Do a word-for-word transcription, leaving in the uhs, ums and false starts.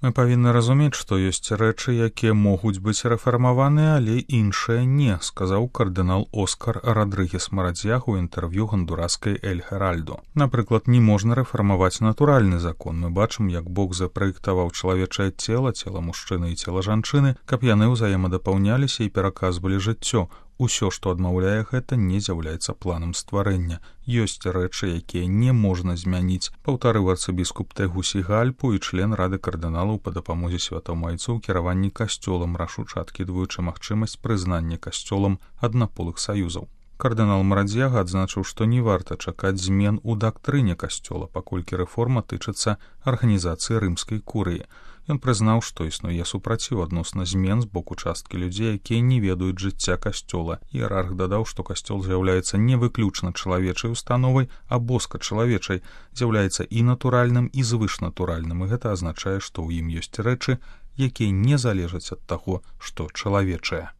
Мы павінны разумець, што ёсць рэчы, якія могуць быць рэфармаваныя, але іншыя не, сказаў кардынал Оскар Радрыгес Марадзьяг у інтэрв'ю гондураскай Эль Херальдо. Напрыклад, не можна рэфармаваць натуральны закон. Мы бачым, як Бог запраектаваў чалавечае цела, цела мужчыны і цела жанчыны, каб яны ўзаемадапаўняліся і пераказвалі жыццё. Усё, што адмаўляе гэта, не з'яўляецца планам стварэння. Ёсць рэчы, якія не можна змяніць, паўтарыў арцыбіскуп Тегусігальпу і член рады кардыналаў па дапамозе святамайцу ў кіраванні касцёлам, рашуча адкідваючы магчымасць прызнання касцёлам аднаполых саюзаў. Кардынал Марадзьяга адзначыў, што не варта чакаць змен у дактрыне касцёла, паколькі рэформа тычыцца арганізацыі рымскай курыі. Ён прызнаў, што існуе супраціў адносна змен з боку часткі людзей, якія не ведаюць жыцця касцёла. Іерарх дадаў, што касцёл з'яўляецца не выключна чалавечай установай, а боска-чалавечай, з'яўляецца і натуральным, і звышнатуральным, і гэта азначае, што ў ім ёсць рэчы, якія не залежаць ад таго, што чалавечае.